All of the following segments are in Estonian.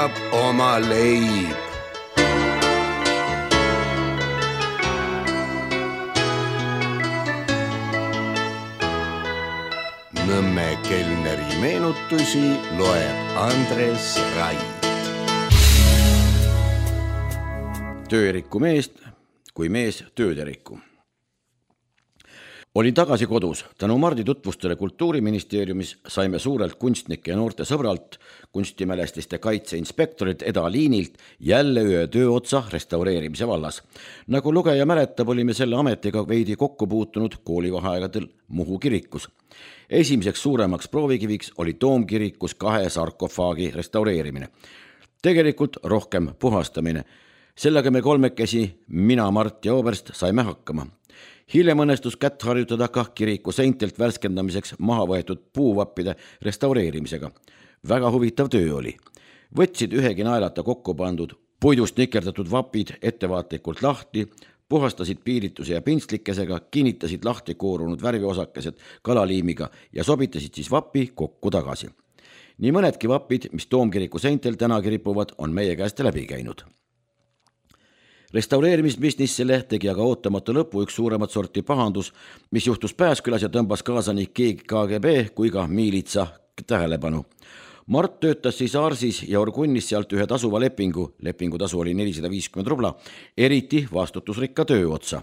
leiab oma leib. Nõmme kelneri meenutusi loeb Andres Raid. Töö ei rikku meest, kui mees tööd ei rikku. Olin tagasi kodus. Tänu Mardi tutvustele Kultuuriministeeriumis saime suurelt kunstnike ja noorte sõbralt, kunstimälestiste kaitse inspektorilt Eda Liinilt jälle ühe tööotsa restaureerimise vallas. Nagu lugeja mäletab, olime selle ametiga veidi kokku puutunud koolivaheaegadel Muhu kirikus. Esimeseks suuremaks proovikiviks oli Toomkirikus 2 sarkofaagi restaureerimine. Tegelikult rohkem puhastamine. Sellega me kolmekesi, mina, Mart ja Oberst, saime hakkama. Hiljem õnnestus kätt harjutada ka kiriku seintelt värskendamiseks maha võetud puuvappide restaureerimisega. Väga huvitav töö oli. Võtsid ühegi naelata kokku pandud puidust nikerdatud vapid ettevaatlikult lahti, puhastasid piirituse ja pintslikesega, kinnitasid lahti koorunud värviosakesed kalaliimiga ja sobitasid siis vapi kokku tagasi. Nii mõnedki vapid, mis Toomkiriku seintel tänagi ripuvad, on meie käest läbi käinud. Restaureerimisbisnissele tegi aga ootamatu lõpu üks suuremat sorti pahandus, mis juhtus Pääskülas ja tõmbas kaasa nii KGB kui ka miilitsa tähelepanu. Mart töötas siis Arsis ja Orgunnis sealt ühe tasuva lepingutasu oli 450 rubla, eriti vastutusrikka töö otsa.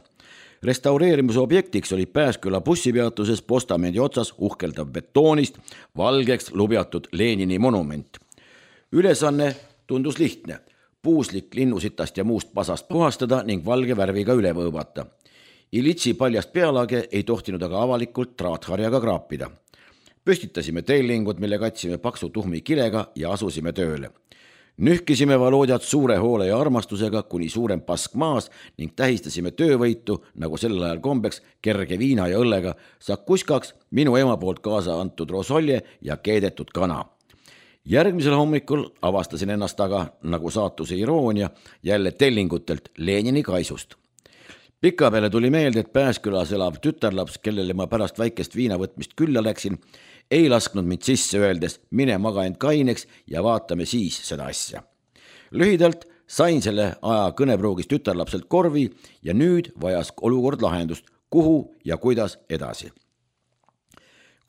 Restaureerimise objektiks oli Pääsküla bussipeatuses postamendi otsas uhkeldav betoonist valgeks lubjatud Lenini monument. Ülesanne tundus lihtne. Puuslik linnusitast ja muust pasast puhastada ning valge värviga üle võõbata. Ilitsi paljast pealage ei tohtinud aga avalikult traatharjaga kraapida. Püstitasime tellingud, mille katsime paksu tuhmi kilega ja asusime tööle. Nühkisime Volodjat suure hoole ja armastusega kuni suurem pask maas ning tähistasime töövõitu, nagu sellel ajal kombeks, kerge viina ja õllega, sakuskaks minu ema poolt kaasa antud rosolje ja keedetud kana. Järgmisel hommikul avastasin ennast aga, nagu saatuse iroonia, jälle tellingutelt Lenini kaisust. Pika peale tuli meelde, et Pääskülas elav tütarlaps, kellele ma pärast väikest viinavõtmist külla läksin, ei lasknud mind sisse öeldes, mine maga end kaineks ja vaatame siis seda asja. Lühidalt sain selle aja kõnepruugis tütarlapselt korvi ja nüüd vajas olukord lahendust, kuhu ja kuidas edasi.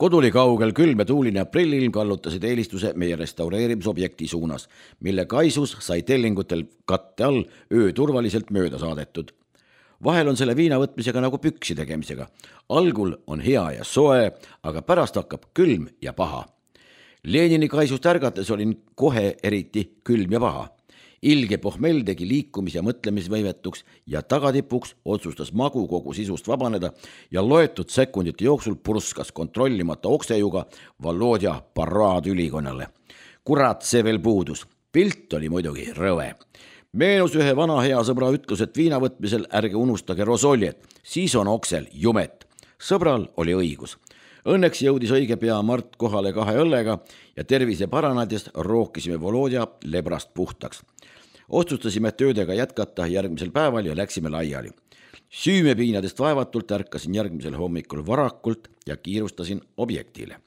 Koduli kaugel külm ja tuuline aprillilm kallutasid eelistuse meie restaureerimisobjekti suunas, mille kaisus sai tellingutel katte all öö turvaliselt mööda saadetud. Vahel on selle viina võtmisega nagu püksi tegemisega. Algul on hea ja soe, aga pärast hakkab külm ja paha. Lenini kaisust ärgates olin kohe eriti külm ja paha. Ilge pohmell tegi liikumis- ja mõtlemisvõimetuks ja tagatipuks otsustas magu kogu sisust vabaneda ja loetud sekundite jooksul purskas kontrollimata oksejuga Volodja paraadülikonnale. Kurat, see veel puudus. Pilt oli muidugi rõve. Meenus ühe vana hea sõbra ütlus, et viinavõtmisel ärge unustage rosoljet, siis on oksel jumet. Sõbral oli õigus. Õnneks jõudis õige pea Mart kohale 2 õllega ja tervise paranades rookisime Volodja lebrast puhtaks. Otsustasime töödega jätkata järgmisel päeval ja läksime laiali. Süümepiinadest vaevatult ärkasin järgmisel hommikul varakult ja kiirustasin objektile.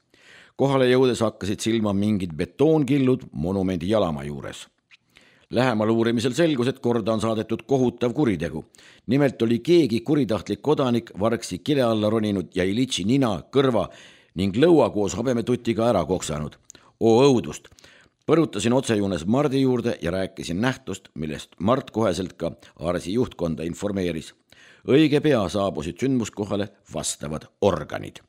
Kohale jõudes hakkasid silma mingid betoonkillud monumendi jalama juures. Lähemal uurimisel selgus, et korda on saadetud kohutav kuritegu. Nimelt oli keegi kuritahtlik kodanik vargsi kile alla roninud ja Ilitši nina, kõrva ning lõua koos habemetutiga ära koksanud. Õudust! Põrutasin otsejuunes Mardi juurde ja rääkisin nähtust, millest Mart koheselt ka Arsi juhtkonda informeeris. Õige pea saabusid sündmuskohale vastavad organid.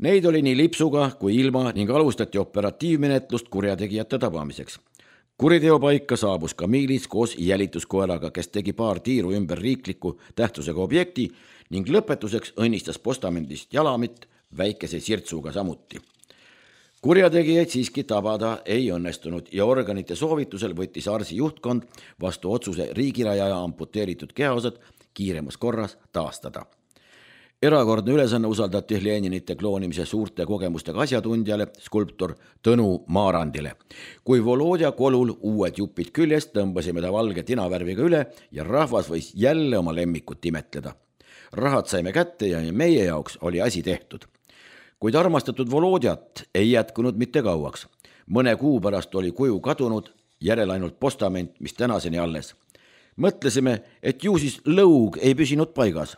Neid oli nii lipsuga kui ilma ning alustati operatiivmenetlust kurjategijate tabamiseks. Kuriteopaika saabus ka miilits koos jälituskoeraga, kes tegi paar tiiru ümber riikliku tähtsusega objekti ning lõpetuseks õnnistas postamendist jalamit väikese sirtsuga samuti. Kurjategijaid siiski tabada ei õnnestunud ja organite soovitusel võttis Arsi juhtkond vastu otsuse riigirajaja amputeeritud kehaosad kiiremas korras taastada. Erakordne ülesanne usaldati Leninite kloonimise suurte kogemustega asjatundjale, skulptor Tõnu Maarandile. Kui Volodja kolul uued jupid küljest, tõmbasime ta valge tinavärviga üle ja rahvas võis jälle oma lemmikut imetleda. Rahad saime kätte ja meie jaoks oli asi tehtud. Kuid armastatud Volodjat ei jätkunud mitte kauaks. Mõne kuu pärast oli kuju kadunud järel ainult postament, mis tänaseni alles. Mõtlesime, et ju siis lõug ei püsinud paigas.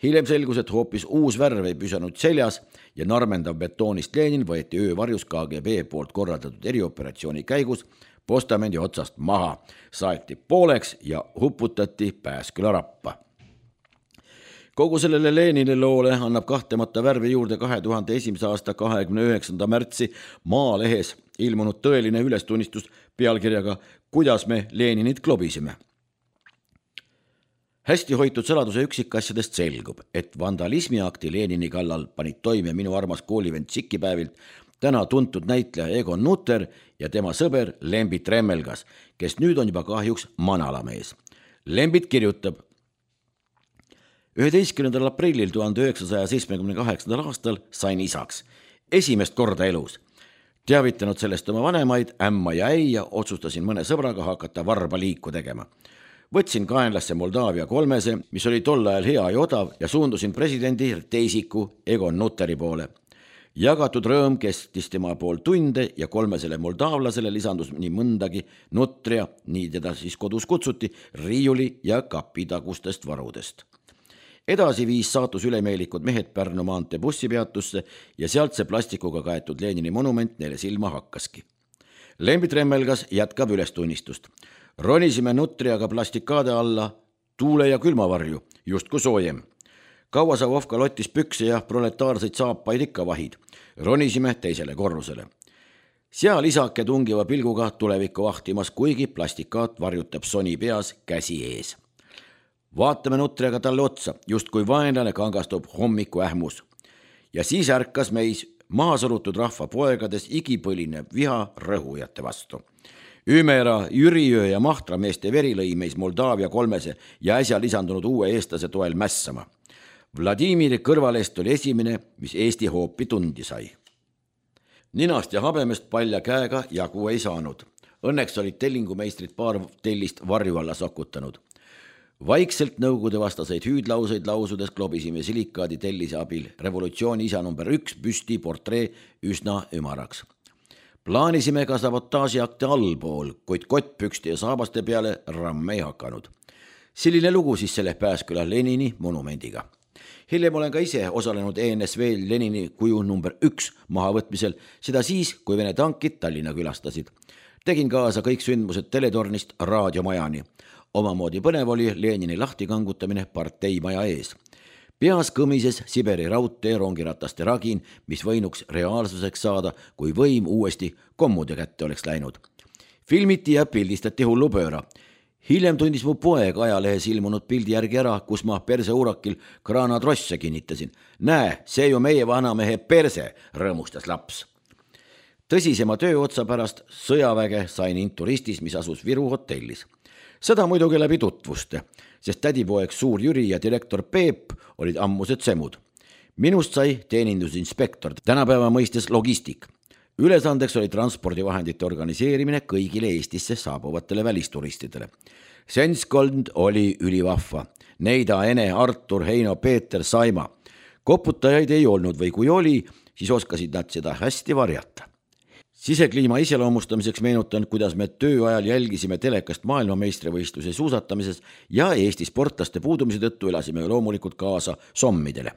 Hiljem selgus, et hoopis uus värv ei püsanud seljas ja narmendav betoonist Lenin võeti öövarjus KGB poolt korraldatud erioperatsiooni käigus postamendi otsast maha, saeti pooleks ja huputati Pääsküla rappa. Kogu sellele Lenini loole annab kahtlemata värvi juurde 2001. aasta 29. märtsi Maalehes ilmunud tõeline ülestunnistus pealkirjaga "Kuidas me Leninit klobisime?". Hästi hoitud saladuse üksikasjadest selgub, et vandalismiakti Lenini kallal panid toime minu armas koolivend Sikipäevilt täna tuntud näitleja Egon Nutter ja tema sõber Lembit Remmelgas, kes nüüd on juba kahjuks manalamees. Lembit kirjutab: 11. aprillil 1978. aastal sain isaks. Esimest korda elus. Teavitanud sellest oma vanemaid, ämma ja äia, otsustasin mõne sõbraga hakata varba liiku tegema. Võtsin kaenlasse Moldaavia 3, mis oli tol ajal hea ja odav, ja suundusin presidendi teisiku Egon Nutteri poole. Jagatud rõõm kestis tema pool tunde ja 3 moldaavlasele lisandus nii mõndagi Nutria, nii teda siis kodus kutsuti, riiuli ja kapitagustest varudest. Edasi viis saatus ülemeelikud mehed Pärnu maantee bussipeatusse ja sealt see plastikuga kaetud Lenini monument neile silma hakkaski. Lembit Remmelgas jätkab ülestunnistust. Ronisime Nutriaga plastikaade alla, tuule ja külmavarju, justku soojem. Kauasavovka lottis pükse ja proletaarseid saapaid ikka vahid. Ronisime teisele korrusele. Seal isake tungiva pilguga tulevikku vahtimas, kuigi plastikaat varjutab soni peas käsi ees. Vaatame Nutriaga talle otsa, just kui vaenlane kangastub hommiku ähmus. Ja siis ärkas meis maha surutud rahva poegades igipõline viha rõhujate vastu. Ümera, Jüriöö ja Mahtra meeste veri lõi meis Moldaavia 3 ja äsja lisandunud uue eestlase toel mässama. Vladimiri kõrvalest oli esimene, mis Eesti hoopi tundi sai. Ninast ja habemest palja käega jagu ei saanud. Õnneks olid tellingumeistrid paar tellist varju alla sokutanud. Vaikselt nõukogude vastaseid hüüdlauseid lausudes klobisime silikaadi tellise abil revolutsiooni isa number 1 püsti portree üsna ümaraks. Plaanisime ka sabotaažiakte allpool, kuid kottpükste ja saabaste peale ramme ei hakanud. Selline lugu siis selle Pääsküla Lenini monumendiga. Hiljem olen ka ise osalenud ENSV Lenini kuju number 1 mahavõtmisel, seda siis, kui Vene tankid Tallinna külastasid. Tegin kaasa kõik sündmused teletornist raadiomajani. Omamoodi põnev oli Lenini lahtikangutamine parteimaja ees. Peas kõmises Siberi raudtee rongirataste ragin, mis võinuks reaalsuseks saada, kui võim uuesti kommude kätte oleks läinud. Filmiti ja pildistati hullupööra. Hiljem tundis mu poeg ajalehes ilmunud pildi järgi ära, kus ma perseuurakil kraanatrosse kinnitasin. Näe, see ju meie vanamehe perse, rõõmustas laps. Tõsisema töö otsa pärast sõjaväge sain inturistis, mis asus Viru hotellis. Seda muidugi läbi tutvuste, sest tädipoeg Suur Jüri ja direktor Peep olid ammused semud. Minust sai teenindusinspektor, tänapäeva mõistes logistik. Ülesandeks oli transpordivahendite organiseerimine kõigile Eestisse saabuvatele välisturistidele. Senskond oli ülivahva. Neida, Ene, Artur, Heino, Peeter, Saima. Koputajaid ei olnud või kui oli, siis oskasid nad seda hästi varjata. Sisekliima iseloomustamiseks meenutan, kuidas me tööajal jälgisime telekast maailmameistrivõistluse suusatamises ja Eesti sportlaste puudumise tõttu elasime loomulikult kaasa sommidele.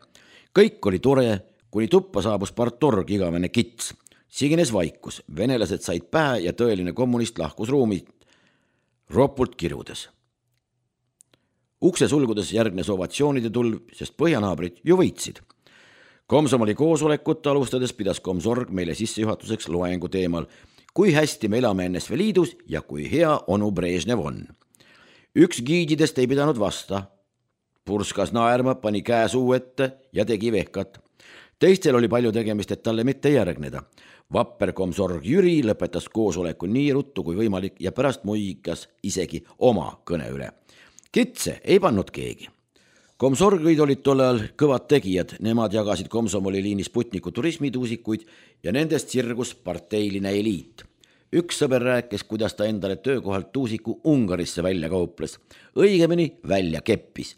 Kõik oli tore, kuni tuppa saabus partorg igavene kits. Sigines vaikus, venelased said pähe ja tõeline kommunist lahkus ruumi ropult kirudes. Ukse sulgudes järgnes ovatsioonide tulv, sest põhjanaabrid ju võitsid. Komsomoli koosolekut alustades pidas Komsorg meile sissejuhatuseks loengu teemal, kui hästi me elame NSV Liidus ja kui hea onu Brežnev on. Üks giididest ei pidanud vasta. Purskas naerma, pani käe suu ette ja tegi vehkat. Teistel oli palju tegemist, et talle mitte järgneda. Vapper Komsorg Jüri lõpetas koosoleku nii ruttu kui võimalik ja pärast muigas isegi oma kõne üle. Kitse ei pannud keegi. Komsorgid olid tollal kõvad tegijad, nemad jagasid Komsomoli liini Sputniku turismituusikuid ja nendest sirgus parteiline eliit. Üks sõber rääkis, kuidas ta endale töökohalt tuusiku Ungarisse välja kauples. Õigemini välja keppis.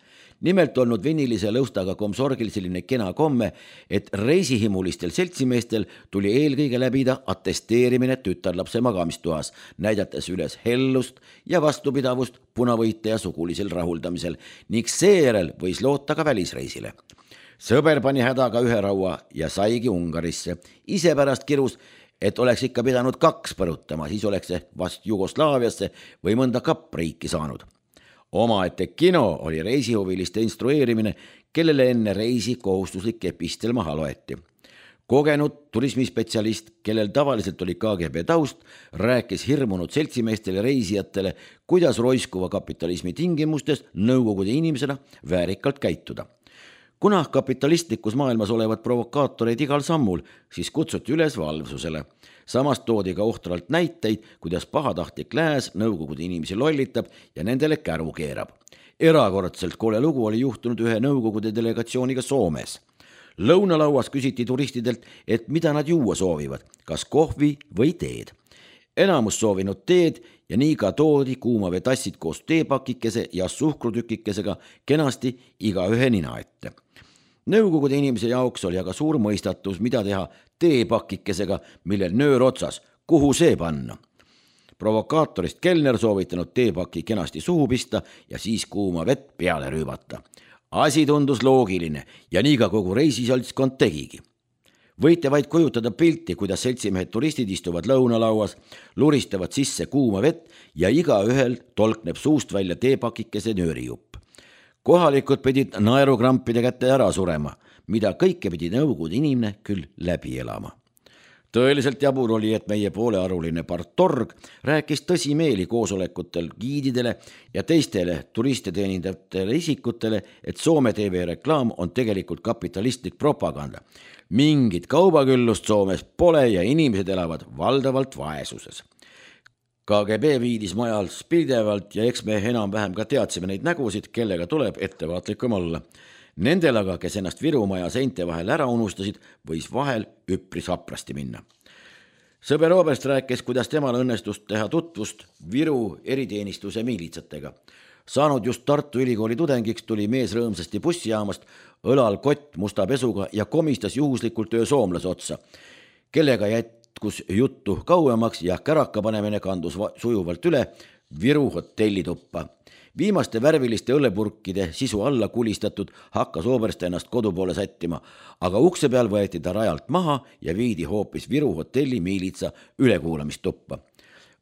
Nimelt olnud vinilise lõustaga komsorgil selline kena komme, et reisihimulistel seltsimeestel tuli eelkõige läbida attesteerimine tütarlapse magamistoas, näidates üles hellust ja vastupidavust punavõite ja sugulisel rahuldamisel ning seejärel võis loota ka välisreisile. Sõber pani hädaga ühe raua ja saigi Ungarisse. Ise pärast kirus, et oleks ikka pidanud 2 põrutama, siis oleks see vast Jugoslaaviasse või mõnda kappriiki saanud. Omaette kino oli reisihuviliste instrueerimine, kellele enne reisi kohustuslik epistel maha loeti. Kogenud turismispetsialist, kellel tavaliselt oli KGB taust, rääkis hirmunud seltsimeestele reisijatele, kuidas roiskuva kapitalismi tingimustes nõukogude inimesena väärikalt käituda. Kuna kapitalistlikus maailmas olevad provokaatoreid igal sammul, siis kutsuti üles valvsusele. Samas toodi ka ohtralt näiteid, kuidas pahatahtlik lääs nõukogude inimesi lollitab ja nendele käru keerab. Erakordselt kole lugu oli juhtunud ühe nõukogude delegatsiooniga Soomes. Lõunalauas küsiti turistidelt, et mida nad juua soovivad, kas kohvi või teed. Enamus soovinud teed ja nii ka toodi kuumavetassid koos teepakikese ja suhkrutükikesega kenasti igaühe nina ette. Nõukogude inimese jaoks oli aga suur mõistatus, mida teha teepakikesega, millel nöör otsas, kuhu see panna. Provokaatorist kelner soovitanud teepaki kenasti suhu pista ja siis kuuma vett peale rüübata. Asi tundus loogiline ja nii ka kogu reisiseltskond tegigi. Võite vaid kujutada pilti, kuidas seltsimehed turistid istuvad lõunalauas, luristavad sisse kuuma vett ja igaühel tolkneb suust välja teepakikese nöörijupp. Kohalikud pidid naerukrampide kätte ära surema, mida kõike pidi nõukogude inimene küll läbi elama. Tõeliselt jabur oli, et meie poolearuline partorg rääkis tõsimeeli koosolekutel giididele ja teistele turiste teenindavatele isikutele, et Soome TV reklaam on tegelikult kapitalistlik propaganda. Mingit kaubaküllust Soomes pole ja inimesed elavad valdavalt vaesuses. KGB viidis majals pidevalt ja eks me enam-vähem ka teadsime neid nägusid, kellega tuleb ettevaatlikum olla. Nendel aga, kes ennast Virumaja seinte vahel ära unustasid, võis vahel üpris haprasti minna. Sõber Oberst rääkis, kuidas temal õnnestust teha tutvust Viru eriteenistuse miilitsatega. Saanud just Tartu Ülikooli tudengiks tuli mees rõõmsasti bussijaamast, õlal kott musta pesuga ja komistas juhuslikult ühe soomlase otsa, kellega jätkus juttu kauemaks ja käraka panemine kandus sujuvalt üle Viru hotellituppa. Viimaste värviliste õllepurkide sisu alla kulistatud hakkas Oberst ennast kodu poole sättima, aga ukse peal võeti ta rajalt maha ja viidi hoopis Viru hotelli miilitsa ülekuulamistuppa.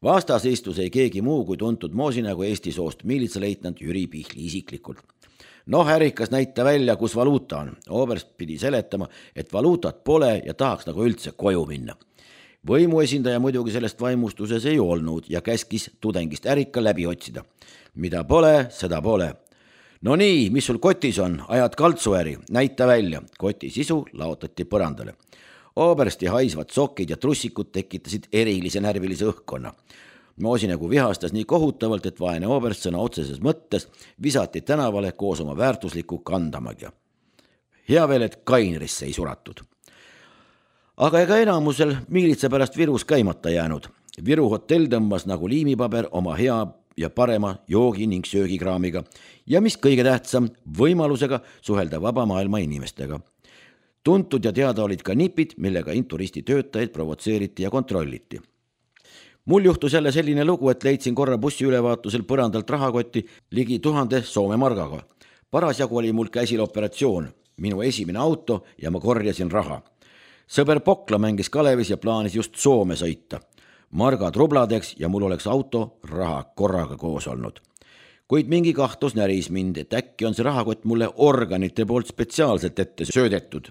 Vastas istus ei keegi muu kui tuntud moosinägu Eesti soost miilitsaleitnant Jüri Pihli isiklikult. Ärikas näita välja, kus valuuta on. Oberst pidi seletama, et valuutat pole ja tahaks nagu üldse koju minna. Võimuesindaja muidugi sellest vaimustuses ei olnud ja käskis tudengist ärika läbi otsida. Mida pole, seda pole. No nii, mis sul kotis on? Ajad kaltsuäri, näita välja. Koti sisu laotati põrandale. Obersti haisvad sokid ja trussikud tekitasid erilise närvilise õhkkonna. Moosinägu vihastas nii kohutavalt, et vaene Oberst sõna otseses mõttes visati tänavale koos oma väärtusliku kandamagia. Hea veel, et Kainrisse ei suratud. Aga ega enamusel miilitsa pärast Virus käimata jäänud. Viru hotell tõmbas nagu liimipaber oma hea ja parema joogi ning söögikraamiga ja mis kõige tähtsam, võimalusega suhelda vaba maailma inimestega. Tuntud ja teada olid ka nipid, millega inturisti töötajaid provotseeriti ja kontrolliti. Mul juhtus jälle selline lugu, et leidsin korra bussi ülevaatusel põrandalt rahakotti ligi 1000 Soome margaga. Parasjagu oli mul käsil operatsioon, minu esimene auto ja ma korjasin raha. Sõber Pokla mängis Kalevis ja plaanis just Soome sõita. Margad rubladeks ja mul oleks auto raha korraga koos olnud. Kuid mingi kahtlus näris mind, et äkki on see rahakott mulle organite poolt spetsiaalselt ette söödetud.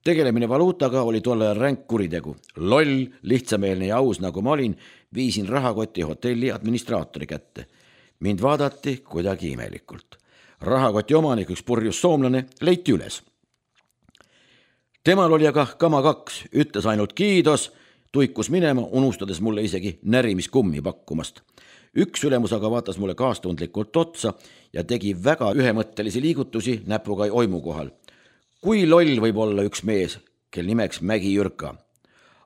Tegelemine valuutaga oli tolle ränk kuritegu. Loll, lihtsameelne ja aus nagu ma olin, viisin rahakoti hotelli administraatori kätte. Mind vaadati kuidagi imelikult. Rahakoti omanik, üks purjus soomlane, leiti üles. Temal oli aga kama 2, ütles ainult kiidos, tuikus minema, unustades mulle isegi närimiskummi pakkumast. Üks ülemus aga vaatas mulle kaastundlikult otsa ja tegi väga ühemõttelisi liigutusi näpuga oimu kohal. Kui loll võib olla üks mees, kel nimeks Mägi Jürka.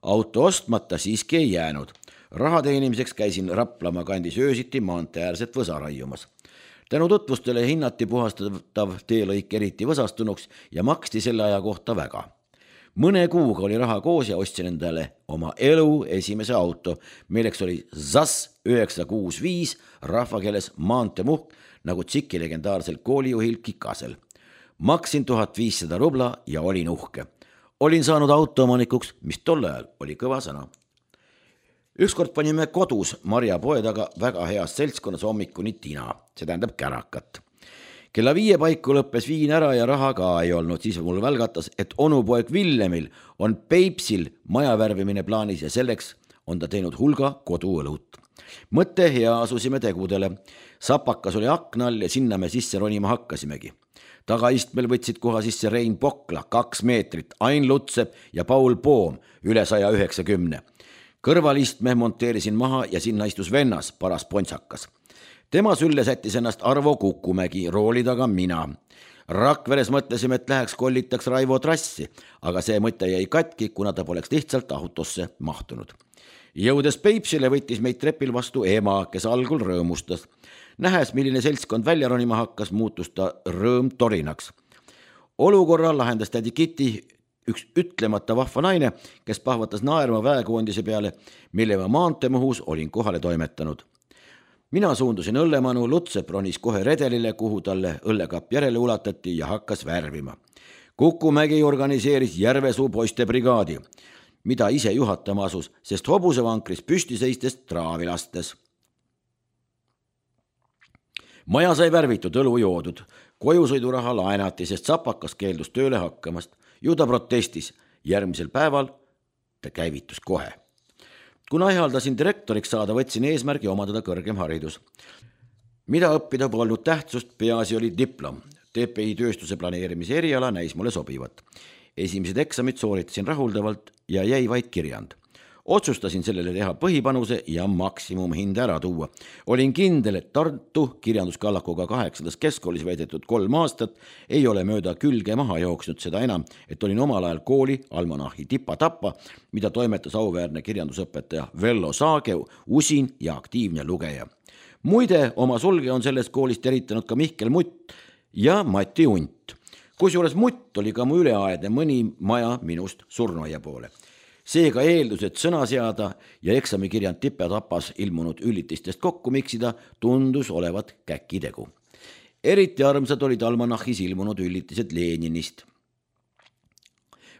Auto ostmata siiski ei jäänud. Raha teenimiseks käisin Raplamaa kandis öösiti maanteäärset võsa raiumas. Tänu tutvustele hinnati puhastatav teelõik eriti võsastunuks ja maksti selle aja kohta väga. Mõne kuuga oli raha koos ja ostsin endale oma elu esimese auto, milleks oli ZAS 965, rahvakeeles maanteemuhk, nagu Tšiki legendaarsel koolijuhil Kikasel. Maksin 1500 rubla ja olin uhke. Olin saanud autoomanikuks, mis tol ajal oli kõva sõna. Ükskord panime kodus Marja poe taga väga heas seltskonnas hommikuni tina, see tähendab kärakat. Kella 5 paiku lõppes viin ära ja raha ka ei olnud, siis mul välgatas, et onupoeg Villemil on Peipsil maja värvimine plaanis ja selleks on ta teinud hulga koduõlut. Mõtte hea, asusime tegudele. Sapakas oli aknal ja sinna me sisse ronima hakkasimegi. Tagaistmel võtsid koha sisse Rein Pokla, 2 meetrit, Ain Lutsep ja Paul Poom, üle 190. Kõrvalistme monteerisin maha ja sinna istus vennas, paras pontsakas. Tema sülle sättis ennast Arvo Kukumägi, rooli taga mina. Rakveres mõtlesime, et läheks kollitaks Raivo Trassi, aga see mõte jäi katki, kuna ta poleks lihtsalt autosse mahtunud. Jõudes Peipsile võttis meid trepil vastu ema, kes algul rõõmustas. Nähes, milline seltskond välja ronima hakkas, muutus ta rõõm torinaks. Olukorra lahendas tädi Kiti, üks ütlemata vahva naine, kes pahvatas naerma väekoondise peale, mille ma maanteemuhus olin kohale toimetanud. Mina suundusin õllemanu, Lutsep ronis kohe redelile, kuhu talle õllekapp järele ulatati ja hakkas värvima. Kukumägi organiseeris Järvesuu poiste brigaadi, mida ise juhatama asus, sest hobusevankris püsti seistest traavi lastes. Maja sai värvitud, õlu joodud, kojusõiduraha laenati, sest Sapakas keeldus tööle hakkamast. Ju ta protestis, järgmisel päeval ta käivitus kohe. Kuna ihaldasin direktoriks saada, võtsin eesmärgi omandada kõrgem haridus. Mida õppida polnud tähtsust, peaasi oli diplom. TPI tööstuse planeerimise eriala näis mulle sobivat. Esimesed eksamid sooritasin rahuldavalt ja jäi vaid kirjand. Otsustasin sellele teha põhipanuse ja maksimumhinde ära tuua. Olin kindel, et Tartu kirjanduskallakuga 8. keskkoolis veedetud 3 aastat ei ole mööda külge maha jooksnud, seda enam, et olin omal ajal kooli almanahi Tipa-Tappa, mida toimetas auväärne kirjandusõpetaja Vello Saageu, usin ja aktiivne lugeja. Muide, oma sulge on sellest koolist eritanud ka Mihkel Mutt ja Mati Unt. Kusjuures Mutt oli ka mu üleaedne mõni maja minust surnuaia poole. Seega eeldus, et sõna seada ja eksamikirjand Tipa-Tapas ilmunud üllitistest kokku miksida, tundus olevat käkitegu. Eriti armsad olid almanahis ilmunud üllitised Leninist.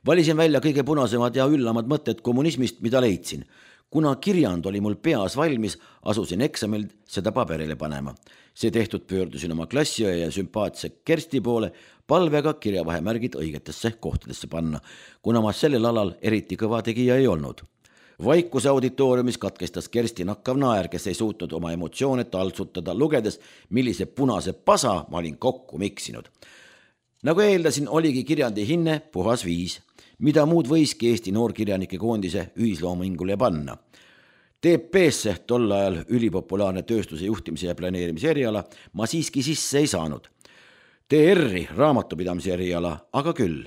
Valisin välja kõige punasemad ja üllamad mõtted kommunismist, mida leidsin. Kuna kirjand oli mul peas valmis, asusin eksamil seda paberile panema. See tehtud pöördusin oma klassiõe ja sümpaatse Kersti poole palvega kirjavahemärgid õigetesse kohtadesse panna, kuna ma sellel alal eriti kõva tegija ei olnud. Vaikuse auditooriumis katkestas Kersti nakkav naer, kes ei suutnud oma emotsioone taltsutada, lugedes, millise punase pasa ma olin kokku miksinud. Nagu eeldasin, oligi kirjandi hinne puhas 5, mida muud võiski Eesti noorkirjanike koondise ühisloomingule panna. TP-sse tol ajal ülipopulaarne tööstuse juhtimise ja planeerimise eriala ma siiski sisse ei saanud. TR-i raamatupidamise eriala, aga küll.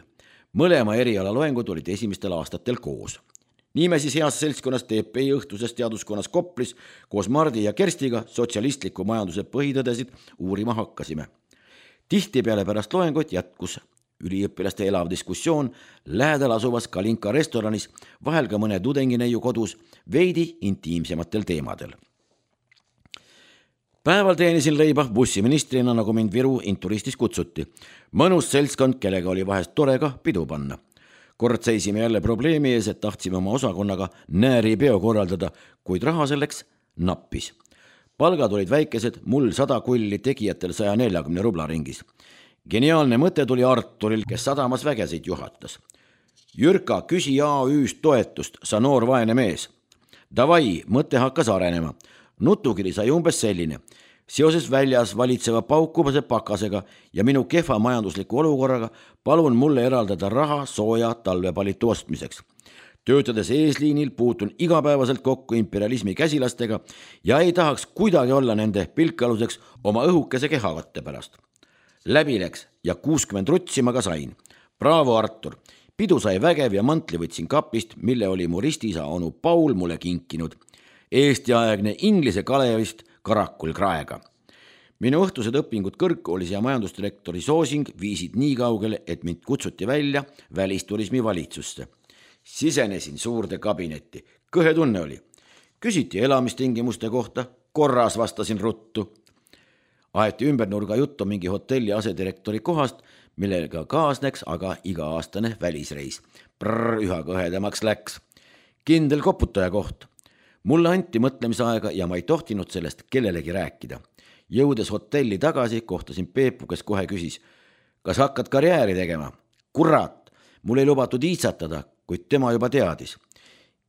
Mõlema eriala loengud olid esimestel aastatel koos. Nii me siis heas seltskonnas TPI õhtuses teaduskonnas Koplis koos Mardi ja Kerstiga sotsialistliku majanduse põhitõdesid uurima hakkasime. Tihtipeale pärast loengut jätkus üliõpilaste elav diskussioon lähedal asuvas Kalinka restoranis, vahel ka mõne tudengineiu kodus, veidi intiimsematel teemadel. Päeval teenisin leiba bussiministrina, nagu mind Viru Inturistis kutsuti. Mõnus seltskond, kellega oli vahest tore ka pidu panna. Kord seisime jälle probleemi ees, et tahtsime oma osakonnaga nääri peo korraldada, kuid raha selleks nappis. Palgad olid väikesed, mul 100 kulli, tegijatel 140 rubla ringis. Geniaalne mõte tuli Arturil, kes sadamas vägesid juhatas. Jürka, küsi AÜ-st toetust, sa noor vaene mees. Davai, mõte hakkas arenema. Nutukiri sai umbes selline. Seoses väljas valitseva paukubase pakasega ja minu kehva majandusliku olukorraga palun mulle eraldada raha sooja talvepalitu ostmiseks. Töötades eesliinil puutun igapäevaselt kokku imperialismi käsilastega ja ei tahaks kuidagi olla nende pilkaluseks oma õhukese kehavatte pärast. Läbi läks ja 60 rutsi ma ka sain. Bravo, Artur! Pidu sai vägev ja mantli võtsin kapist, mille oli mu ristiisa onu Paul mulle kinkinud. Eesti-aegne Inglise Kalevist Karakul Kraega. Minu õhtused õpingud kõrgkoolis ja majandusdirektori soosing viisid nii kaugele, et mind kutsuti välja välisturismi valitsusse. Sisenesin suurde kabinetti. Kõhe tunne oli. Küsiti elamistingimuste kohta, korras vastasin ruttu. Aeti ümbernurga juttu mingi hotelli asedirektori kohast, millega kaasneks aga iga-aastane välisreis. Üha kõhedamaks läks. Kindel koputaja koht. Mulle anti mõtlemisaega ja ma ei tohtinud sellest kellelegi rääkida. Jõudes hotelli tagasi, kohtasin Peepu, kes kohe küsis, kas hakkad karjääri tegema? Kurat, mul ei lubatud iitsatada, kuid tema juba teadis.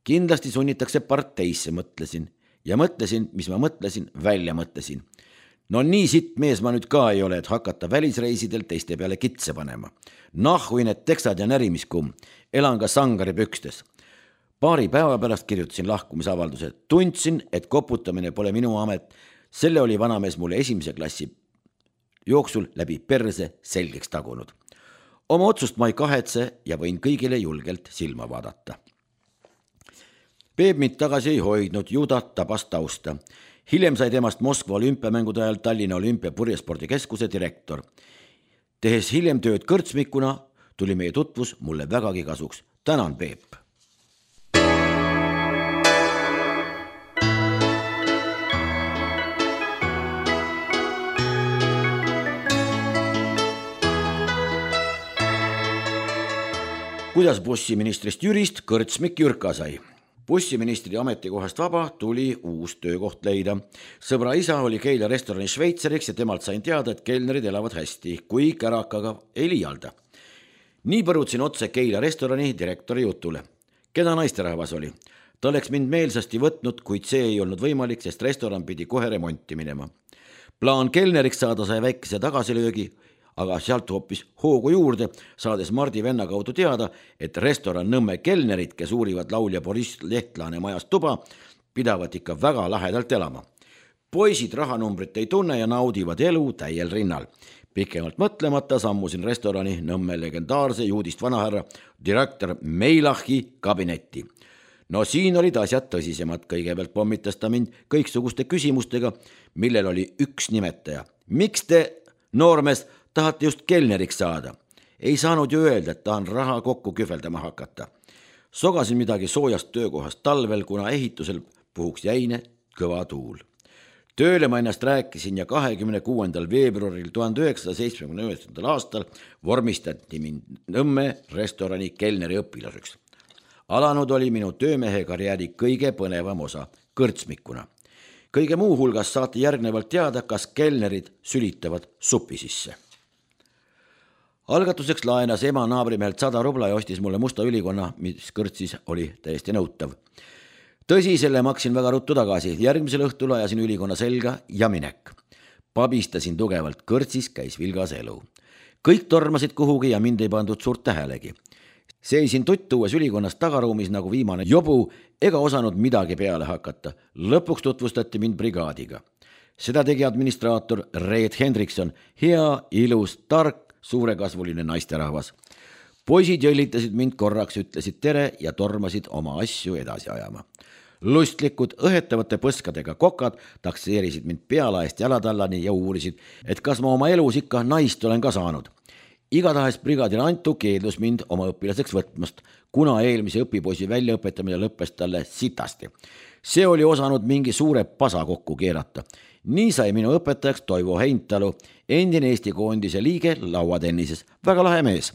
Kindlasti sunnitakse parteisse, mõtlesin. Ja mõtlesin, mis ma mõtlesin, välja mõtlesin. No nii sitt mees ma nüüd ka ei ole, et hakata välisreisidel teiste peale kitse panema. Nahhui need teksad ja närimiskumm. Elan ka sangari pükstes. Paari päeva pärast kirjutasin lahkumisavalduse. Tundsin, et koputamine pole minu amet. Selle oli vanamees mulle esimese klassi jooksul läbi perse selgeks tagunud. Oma otsust ma ei kahetse ja võin kõigile julgelt silma vaadata. Peep mind tagasi ei hoidnud, juda tabas tausta. Hiljem sai temast Moskva olümpiamängude ajal Tallinna Olümpia purjespordikeskuse direktor. Tehes hiljem tööd kõrtsmikuna, tuli meie tutvus mulle vägagi kasuks. Tänan, Peep! Kuidas bussiministrist Jürist kõrtsmik Jürka sai? Bussiministri ametikohast vaba tuli uus töökoht leida. Sõbra isa oli Keila restorani šveitseriks ja temalt sain teada, et kelnerid elavad hästi, kui kärakaga ei liialda. Nii põrutsin otse Keila restorani direktori jutule. Keda naisterahvas oli? Ta oleks mind meelsasti võtnud, kuid see ei olnud võimalik, sest restoran pidi kohe remonti minema. Plaan kelneriks saada sai väikese tagasilöögi, aga sealt hoopis hoogu juurde, saades Mardi venna kaudu teada, et restoran Nõmme kelnerid, kes uurivad laulja Boris Lehtlane majast tuba, pidavad ikka väga lahedalt elama. Poisid rahanumbrit ei tunne ja naudivad elu täiel rinnal. Pikemalt mõtlemata sammusin restorani Nõmme legendaarse juudist vanahärra direktor Meilachi kabinetti. No siin olid asjad tõsisemad, kõigepealt pommitas ta mind kõiksuguste küsimustega, millel oli üks nimetaja. Miks te, noormees, tahate just kelneriks saada? Ei saanud ju öelda, et tahan raha kokku kühveldama hakata. Sogasin midagi soojast töökohast talvel, kuna ehitusel puhuks jäine kõva tuul. Tööle ma ennast rääkisin ja 26. veebruaril 1979. aastal vormistati mind Nõmme restorani kelneri õpilaseks. Alanud oli minu töömehe karjääri kõige põnevam osa, kõrtsmikuna. Kõige muu hulgas saate järgnevalt teada, kas kelnerid sülitavad supi sisse. Algatuseks laenas ema naabrimehelt 100 rubla ja ostis mulle musta ülikonna, mis kõrtsis oli täiesti nõutav. Tõsi, selle maksin väga ruttu tagasi. Järgmisel õhtul ajasin ülikonna selga ja minek. Pabistasin tugevalt, kõrtsis käis vilgas elu. Kõik tormasid kuhugi ja mind ei pandud suurt tähelegi. Seisin tuttuues ülikonnas tagaruumis nagu viimane jobu ega osanud midagi peale hakata. Lõpuks tutvustati mind brigaadiga. Seda tegi administraator Reet Hendrikson, hea, ilus, tark, suurekasvuline naisterahvas. Poisid jõllitasid mind korraks, ütlesid tere ja tormasid oma asju edasi ajama. Lustlikud, õhetavate põskadega kokad takseerisid mind pealaest jalatallani ja uurisid, et kas ma oma elus ikka naist olen ka saanud. Igatahes brigaadil Antu keeldus mind oma õpilaseks võtmast, kuna eelmise õpipoisi väljaõpetamine lõppes talle sitasti. See oli osanud mingi suure pasa kokku keerata. Nii sai minu õpetajaks Toivo Heintalu, endine Eesti koondise liige lauatennises. Väga lahe mees.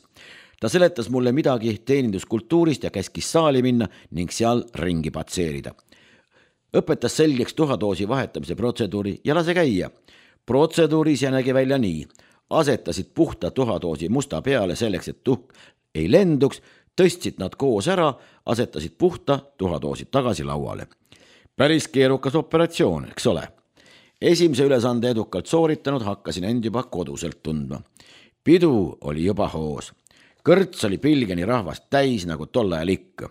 Ta seletas mulle midagi teeninduskultuurist ja käskis saali minna ning seal ringi patseerida. Õpetas selgeks tuhadoosi vahetamise protseduuri ja lase käia. Protseduuris ja nägi välja nii. Asetasid puhta tuhadoosi musta peale selleks, et tuhk ei lenduks, tõstsid nad koos ära, asetasid puhta tuhadoosid tagasi lauale. Päris keerukas operatsioon, eks ole. Esimese ülesande edukalt sooritanud hakkasin end juba koduselt tundma. Pidu oli juba hoos. Kõrts oli pilgeni rahvast täis nagu tol ajal ikka.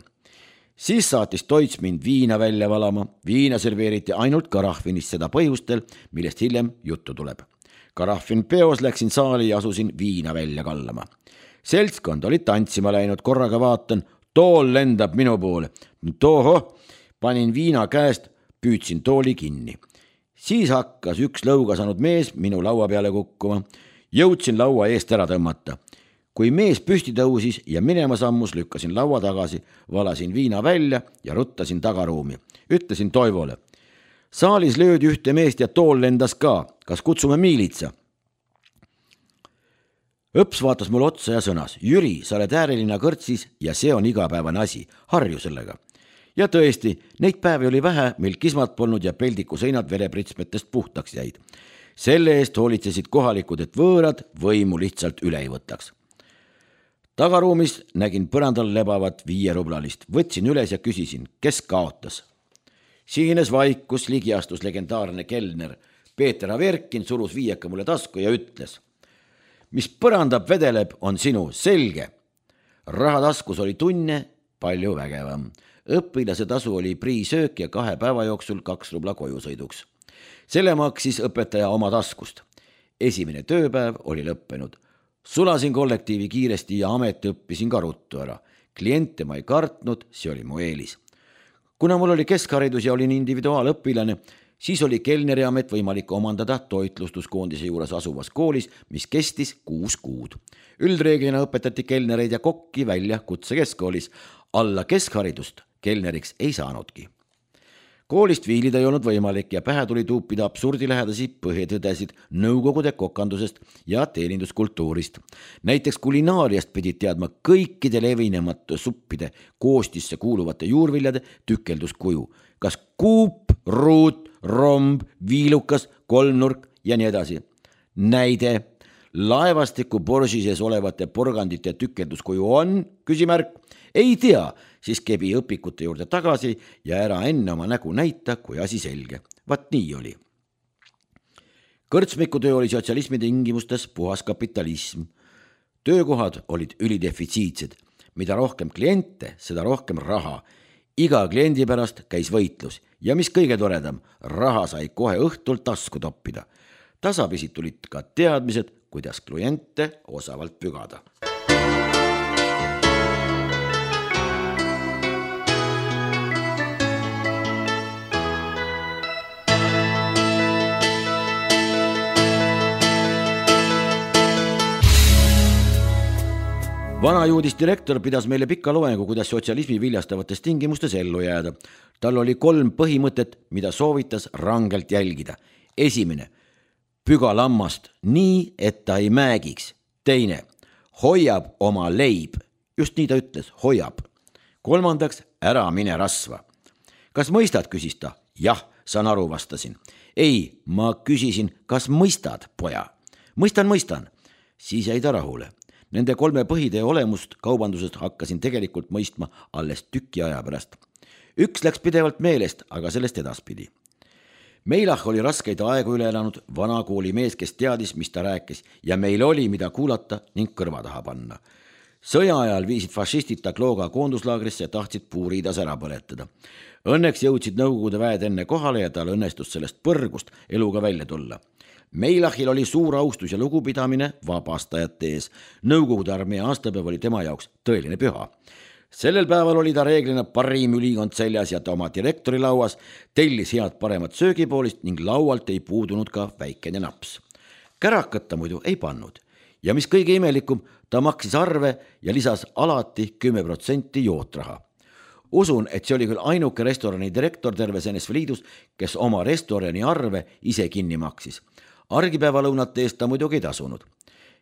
Siis saatis Toits mind viina välja valama. Viina serveeriti ainult karahvinist, seda põhjustel, millest hiljem juttu tuleb. Karahvin peos läksin saali ja asusin viina välja kallama. Seltskond oli tantsima läinud, korraga vaatan, tool lendab minu poole. Toho, panin viina käest, Püüdsin tooli kinni. Siis hakkas üks lõuga saanud mees minu laua peale kukkuma. Jõudsin laua eest ära tõmmata. Kui mees püsti tõusis ja minema sammus, lükkasin laua tagasi, valasin viina välja ja ruttasin tagaruumi. Ütlesin Toivole. Saalis löödi ühte meest ja tool lendas ka. Kas kutsume miilitsa? Õps vaatas mul otsa ja sõnas. Jüri, sa oled äärelinna kõrtsis ja see on igapäevane asi. Harju sellega. Ja tõesti, neid päevi oli vähe, meil kismat polnud ja peldiku seinad verepritsmetest puhtaks jäid. Selle eest hoolitsesid kohalikud, et võõrad võimu lihtsalt üle ei võtaks. Tagaruumis nägin põrandal lebavat 5 rublalist. Võtsin üles ja küsisin, kes kaotas. Siines vaikus, ligi astus legendaarne kelner. Peeter Averkin surus 5 mulle tasku ja ütles. Mis põrandab vedeleb, on sinu, selge. Rahataskus oli tunne palju vägevam. Õpilase tasu oli priisöök ja 2 päeva jooksul 2 rubla koju sõiduks. Selle maksis õpetaja oma taskust. Esimene tööpäev oli lõppenud. Sulasin kollektiivi kiiresti ja ameti õppisin ka ruttu ära. Kliente ma ei kartnud, see oli mu eelis. Kuna mul oli keskharidus ja olin individuaalõpilane, siis oli kelneriamet võimalik omandada toitlustuskoondise juures asuvas koolis, mis kestis 6 kuud. Üldreeglina õpetati kelnereid ja kokki välja kutsekeskkoolis. Alla keskharidust kelneriks ei saanudki. Koolist viilida ei olnud võimalik ja pähe tuli tuupida absurdilähedasi põhitõdesid nõukogude kokandusest ja teeninduskultuurist. Näiteks kulinaariast pidid teadma kõikide levinemate suppide koostisse kuuluvate juurviljade tükelduskuju. Kas kuup, ruut, romb, viilukas, kolmnurk ja nii edasi. Näide, laevastiku borži sees olevate porgandite tükelduskuju on, küsimärk, ei tea, siis kebi õpikute juurde tagasi ja ära enne oma nägu näita, kui asi selge. Vat nii oli. Kõrtsmikutöö oli sotsialismi tingimustes puhas kapitalism. Töökohad olid ülidefitsiitsed. Mida rohkem kliente, seda rohkem raha. Iga kliendi pärast käis võitlus ja mis kõige toredam, raha sai kohe õhtul tasku toppida. Tasapisi tulid ka teadmised, kuidas kliente osavalt pügada. Vanajuudis direktor pidas meile pika loengu, kuidas sotsialismi viljastavates tingimustes ellu jääda. Tal oli 3 põhimõtet, mida soovitas rangelt jälgida. Esimene, püga lammast nii, et ta ei määgiks. Teine, hoiab oma leib. Just nii ta ütles, hoiab. 3, ära mine rasva. Kas mõistad, küsis ta? Jah, saan aru, vastasin. Ei, ma küsisin, kas mõistad, poja? Mõistan. Siis jäi ta rahule. Nende 3 põhitee olemust kaubandusest hakkasin tegelikult mõistma alles tüki aja pärast. Üks läks pidevalt meelest, aga sellest edaspidi. Meilach oli raskeid aegu üle elanud vana kooli mees, kes teadis, mis ta rääkis ja meil oli, mida kuulata ning kõrva taha panna. Sõja ajal viisid fašistid ta Klooga koonduslaagrisse ja tahtsid puuriidas ära põletada. Õnneks jõudsid nõukogude väed enne kohale ja tal õnnestus sellest põrgust eluga välja tulla. Meilachil oli suur austus ja lugupidamine vabastajate ees. Nõukogude armee aastapäev oli tema jaoks tõeline püha. Sellel päeval oli ta reeglina parim ülikond seljas ja ta oma direktori lauas tellis head paremat söögipoolist ning laualt ei puudunud ka väikene naps. Kärakat ta muidu ei pannud. Ja mis kõige imelikum, ta maksis arve ja lisas alati 10% jootraha. Usun, et see oli küll ainuke restorani direktor terves NSV Liidus, kes oma restorani arve ise kinni maksis. Argipäevalõunate eest ta muidugi ei tasunud.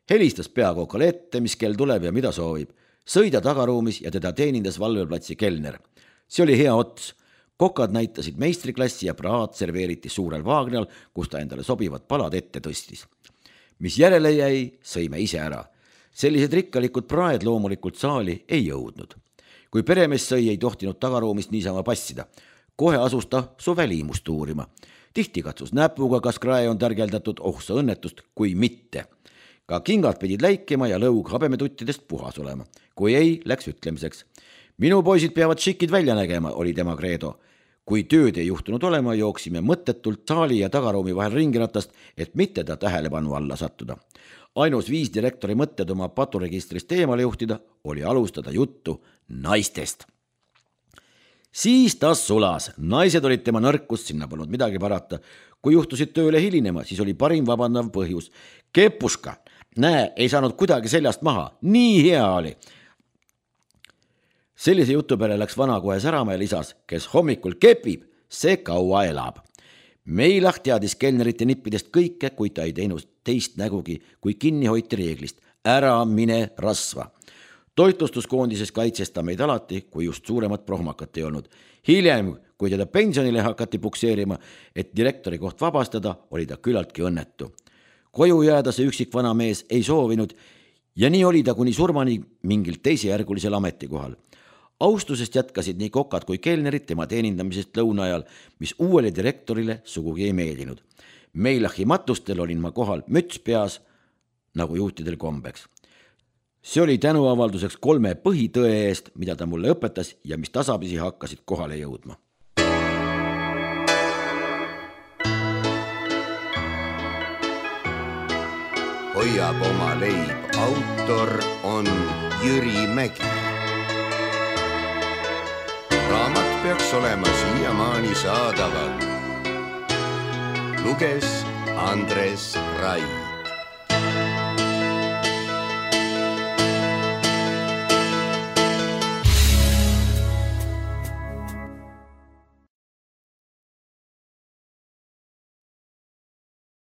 Helistas peakookale ette, mis kell tuleb ja mida soovib. Sõida tagaruumis ja teda teenindas valveplatsi kelner. See oli hea ots. Kokad näitasid meistriklassi ja praad serveeriti suurel vaagnal, kus ta endale sobivad palad ette tõstis. Mis järele jäi, sõime ise ära. Sellised rikkalikud praed loomulikult saali ei jõudnud. Kui peremees sõi, ei tohtinud tagaruumist niisama passida. Kohe asus ta su välimust uurima. Tihti katsus näpuga, kas krae on tärgeldatud, sa õnnetust, kui mitte. Ka kingad pidid läikima ja lõug habemetuttidest puhas olema. Kui ei, läks ütlemiseks. Minu poisid peavad šikid välja nägema, oli tema kreedo. Kui tööd ei juhtunud olema, jooksime mõttetult saali ja tagaruumi vahel ringiratast, et mitte ta tähelepanu alla sattuda. Ainus viis direktori mõtted oma paturegistrist eemale juhtida oli alustada juttu naistest. Siis ta sulas, naised olid tema nõrkust, sinna polnud midagi parata. Kui juhtusid tööle hilinema, siis oli parim vabandav põhjus. Kepuska, näe, ei saanud kuidagi seljast maha, nii hea oli. Sellise jutu peale läks vana kohe särama ja lisas, kes hommikul kepib, see kaua elab. Meilah teadis kelnerite nippidest kõike, kuid ta ei teinud teist nägugi, kui kinni hoiti reeglist. Ära mine rasva. Toitlustuskoondises kaitses ta meid alati, kui just suuremat prohmakat ei olnud. Hiljem, kui teda pensionile hakati pukseerima, et direktori koht vabastada, oli ta küllaltki õnnetu. Koju jääda see üksik vana mees ei soovinud ja nii oli ta kuni surmani mingil teisejärgulisel ametikohal. Austusest jätkasid nii kokad kui kelnerid tema teenindamisest lõuna ajal, mis uuele direktorile sugugi ei meeldinud. Meilahi matustel olin ma kohal müts peas, nagu juhtidel kombeks. See oli tänuavalduseks 3 põhitõe eest, mida ta mulle õpetas ja mis tasapisi hakkasid kohale jõudma. Hoiab oma leib, autor on Jüri Mägi. Raamat peaks olema siiamaani saadaval. Luges Andres Rai.